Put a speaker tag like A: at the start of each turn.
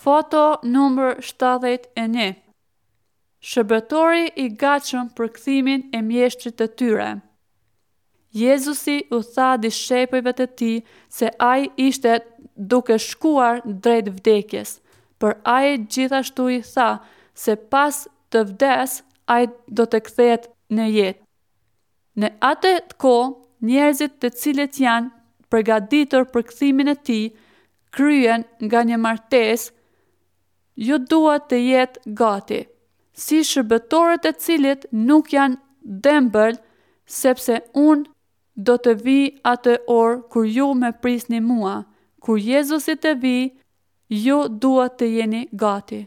A: Foto numër 71 Shërbëtori i gatshëm për kthimin e mjeshtrit të tyre. Jezusi u tha dishepujve të tij se ai ishte duke shkuar drejt vdekjes, por ai gjithashtu i tha se pas të vdes ai do të kthehet në jetë. Në atë kohë, njerëzit të cilët janë përgatitur për kthimin e tij, kryen nga një martesë, ju duhet të jetë gati, si shërbëtorët të cilët nuk janë dembel, sepse unë do të vij atë orë kur ju më prisni mua. Kur Jezusi të vijë, ju duhet të jeni gati.